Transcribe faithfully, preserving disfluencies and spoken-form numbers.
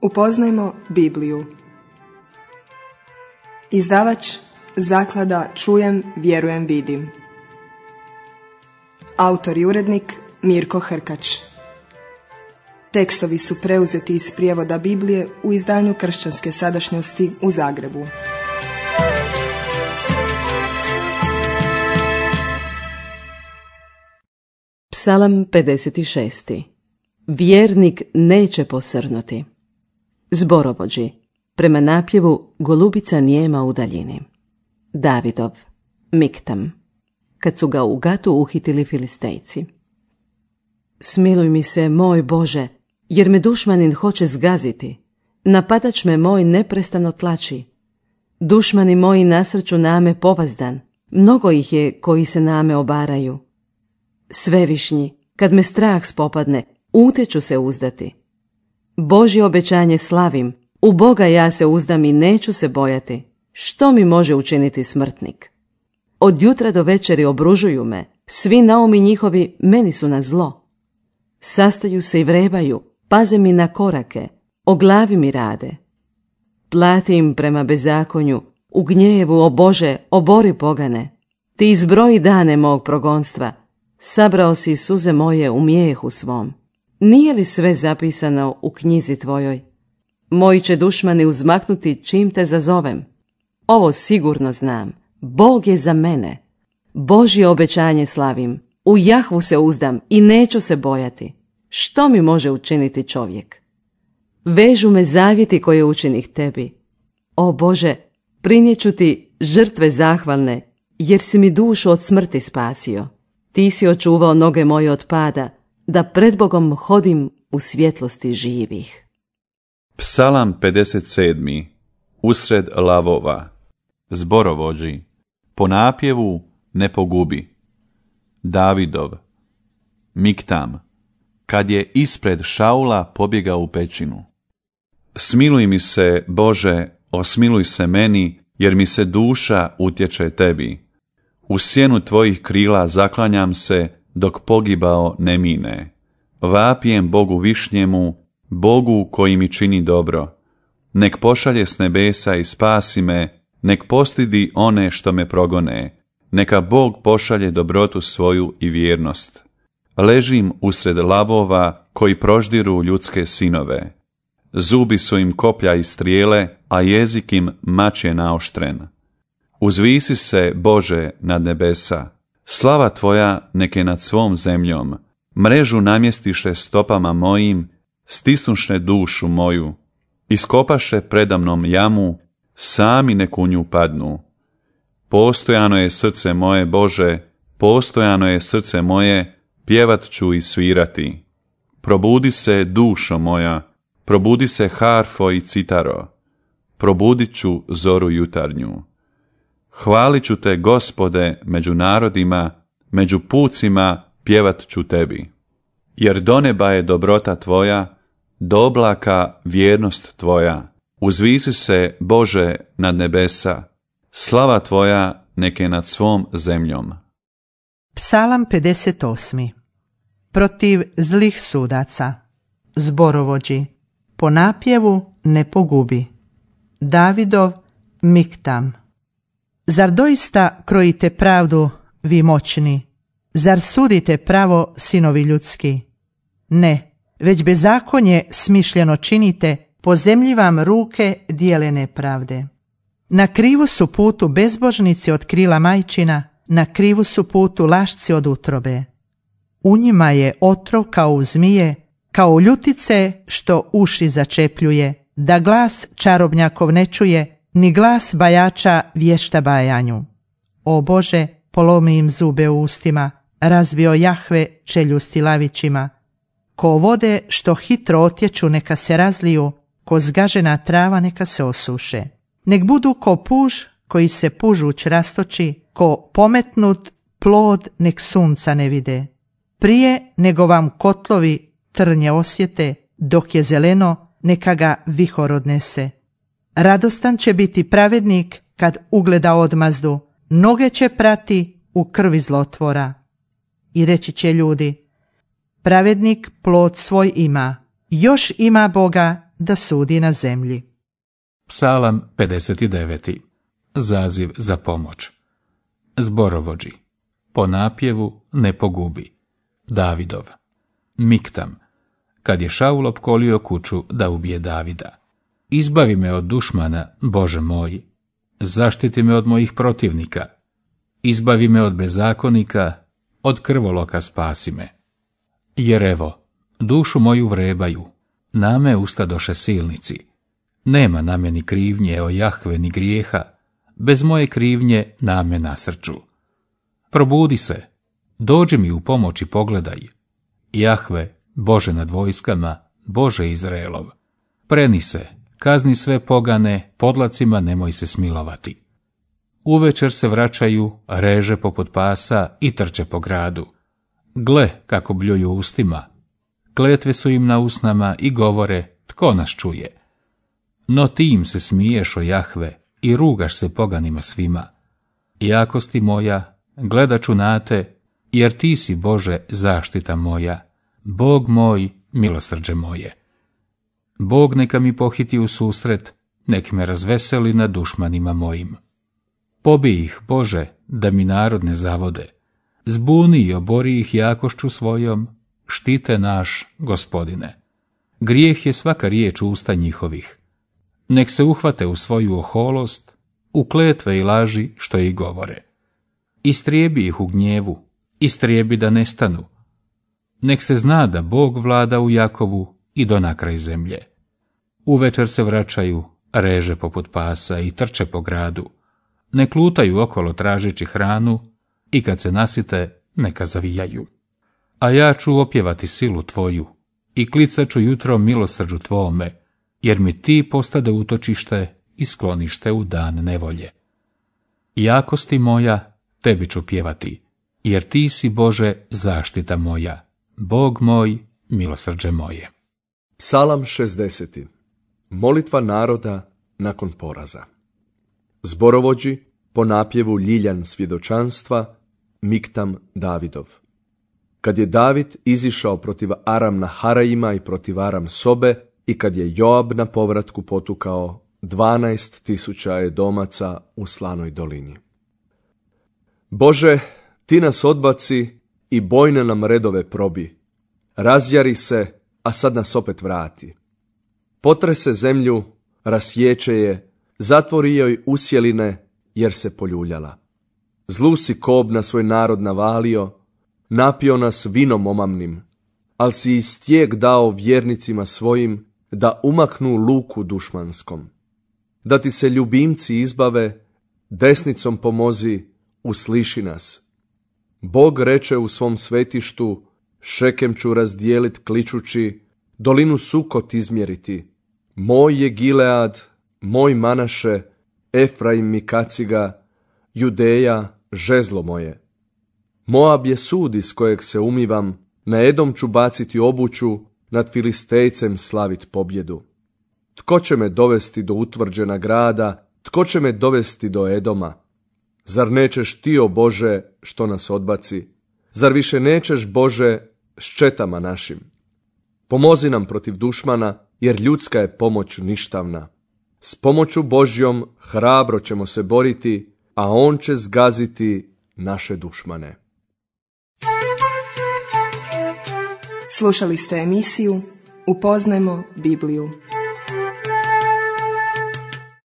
Upoznajmo Bibliju. Izdavač Zaklada Čujem, vjerujem, vidim. Autor i urednik Mirko Hrkač. Tekstovi su preuzeti iz prijevoda Biblije u izdanju Kršćanske sadašnjosti u Zagrebu. Psalam pedeset šest. Vjernik neće posrnuti. Zborovođi. Prema napjevu Golubica nijema u daljini. Davidov. Miktam. Kad su ga u Gatu uhitili Filistejci. Smiluj mi se, moj Bože, jer me dušmanin hoće zgaziti. Napadač me moj neprestano tlači. Dušmani moji nasrću name povazdan. Mnogo ih je koji se name obaraju. Svevišnji, kad me strah spopadne, utječu se uzdati. Božje obećanje slavim, u Boga ja se uzdam i neću se bojati. Što mi može učiniti smrtnik? Od jutra do večeri obružuju me, svi naumi njihovi meni su na zlo. Sastaju se i vrebaju, paze mi na korake, o glavi mi rade. Plati im prema bezakonju, u gnjevu, o Bože, obori pogane. Ti izbroji dane mog progonstva, sabrao si suze moje u mijehu svom. Nije li sve zapisano u knjizi tvojoj? Moji će dušmani uzmaknuti čim te zazovem. Ovo sigurno znam, Bog je za mene. Božje obećanje slavim, u Jahvu se uzdam i neću se bojati. Što mi može učiniti čovjek? Vežu me zavjeti koje učinih tebi. O Bože, prinijeću ti žrtve zahvalne, jer si mi dušu od smrti spasio. Ti si očuvao noge moje od pada, da pred Bogom hodim u svjetlosti živih. Psalam pedeset sedam. Usred lavova. Zborovođi. Po napjevu ne pogubi. Davidov. Miktam. Kad je ispred Šaula pobjegao u pećinu. Smiluj mi se, Bože, osmiluj se meni, jer mi se duša utječe tebi. U sjenu tvojih krila zaklanjam se, dok pogibao ne mine. Vapijem Bogu višnjemu, Bogu koji mi čini dobro. Nek pošalje s nebesa i spasi me, nek postidi one što me progone. Neka Bog pošalje dobrotu svoju i vjernost. Ležim usred lavova koji proždiru ljudske sinove. Zubi su im koplja i strijele, a jezik im mač je naoštren. Uzvisi se, Bože, nad nebesa. Slava tvoja neke nad svom zemljom. Mrežu namjestiše stopama mojim, stisnuše dušu moju. Iskopaše predamnom jamu, sami nek u nju padnu. Postojano je srce moje, Bože, postojano je srce moje, pjevat ću i svirati. Probudi se, dušo moja, probudi se harfo i citaro. Probudit ću zoru jutarnju. Hvalit ću te, Gospode, među narodima, među pucima pjevat ću tebi. Jer do neba je dobrota tvoja, do oblaka vjernost tvoja. Uzvisi se, Bože, nad nebesa, slava tvoja neke nad svom zemljom. Psalam pedeset osam. Protiv zlih sudaca. Zborovođi. Po napjevu ne pogubi. Davidov. Miktam. Zar doista krojite pravdu, vi moćni? Zar sudite pravo, sinovi ljudski? Ne, već bezakonje smišljeno činite, po zemlji vam ruke dijele nepravde. Na krivu su putu bezbožnici od krila majčina, na krivu su putu lašci od utrobe. U njima je otrov kao u zmije, kao u ljutice što uši začepljuje, da glas čarobnjakov ne čuje, ni glas bajača vješta bajanju. O Bože, polomi im zube u ustima, razbio Jahve čeljusti lavićima. Ko vode što hitro otječu neka se razliju, ko zgažena trava neka se osuše. Nek budu ko puž koji se pužuć rastoči, ko pometnut plod nek sunca ne vide. Prije nego vam kotlovi trnje osjete, dok je zeleno neka ga vihor odnese. Radostan će biti pravednik kad ugleda odmazdu, noge će prati u krvi zlotvora. I reći će ljudi, pravednik plod svoj ima, još ima Boga da sudi na zemlji. Psalam pedeset devet. Zaziv za pomoć. Zborovođi. Po napjevu ne pogubi. Davidov. Miktam. Kad je Šaul opkolio kuću da ubije Davida. Izbavi me od dušmana, Bože moj. Zaštiti me od mojih protivnika. Izbavi me od bezakonika, od krvoloka spasi me. Jer evo, dušu moju vrebaju, na me ustadoše silnici. Nema na meni krivnje, o Jahve, ni grijeha, bez moje krivnje na me nasrču. Probudi se, dođi mi u pomoć i pogledaj. Jahve, Bože nad vojskama, Bože Izraelov. Preni se, kazni sve pogane, podlacima nemoj se smilovati. Uvečer se vraćaju, reže poput pasa i trče po gradu. Gle kako bljuju ustima. Kletve su im na usnama i govore, tko nas čuje. No ti im se smiješ, o Jahve, i rugaš se poganima svima. Jakosti moja, gledat ću na te, jer ti si, Bože, zaštita moja, Bog moj, milosrđe moje. Bog neka mi pohiti u susret, nek me razveseli nad dušmanima mojim. Pobij ih, Bože, da mi narod ne zavode. Zbuni i obori ih jakošću svojom, štite naš, Gospodine. Grijeh je svaka riječ usta njihovih. Nek se uhvate u svoju oholost, u kletve i laži što ih govore. Istrijebi ih u gnjevu, istrijebi da nestanu. Nek se zna da Bog vlada u Jakovu i do nakraj zemlje. Uvečer se vraćaju, reže poput pasa i trče po gradu. Nek lutaju okolo tražeći hranu i kad se nasite, neka zavijaju. A ja ću opjevati silu tvoju i klicat ću jutro milosrđu tvome, jer mi ti postade utočište i sklonište u dan nevolje. Jakosti moja, tebi ću pjevati, jer ti si, Bože, zaštita moja, Bog moj, milosrđe moje. Psalam šezdeset. Molitva naroda nakon poraza. Zborovođi, po napjevu Ljiljan svjedočanstva, Miktam Davidov. Kad je David izišao protiv Aram Naharajima i protiv Aram Sobe i kad je Joab na povratku potukao dvanaest tisuća Edomaca u Slanoj dolini. Bože, ti nas odbaci i bojne nam redove probi. Razjari se, a sad nas opet vrati. Potrese zemlju, rasječe je, zatvori joj usjeline, jer se poljuljala. Zlu si kob na svoj narod navalio, napio nas vinom omamnim, al si i stijeg dao vjernicima svojim, da umaknu luku dušmanskom. Da ti se ljubimci izbave, desnicom pomozi, usliši nas. Bog reče u svom svetištu, Šekem ću razdijelit kličući, dolinu Sukot izmjeriti. Moj je Gilead, moj Manaše, Efraim mi kaciga, Judeja, žezlo moje. Moab je sud iz kojeg se umivam, na Edom ću baciti obuću, nad Filistejcem slavit pobjedu. Tko će me dovesti do utvrđena grada, tko će me dovesti do Edoma? Zar nećeš ti, o Bože, što nas odbaci? Zar više nećeš, Bože, s četama našim? Pomozi nam protiv dušmana, jer ljudska je pomoć ništavna. S pomoću Božjom hrabro ćemo se boriti, a on će zgaziti naše dušmane. Slušali ste emisiju Upoznajmo Bibliju.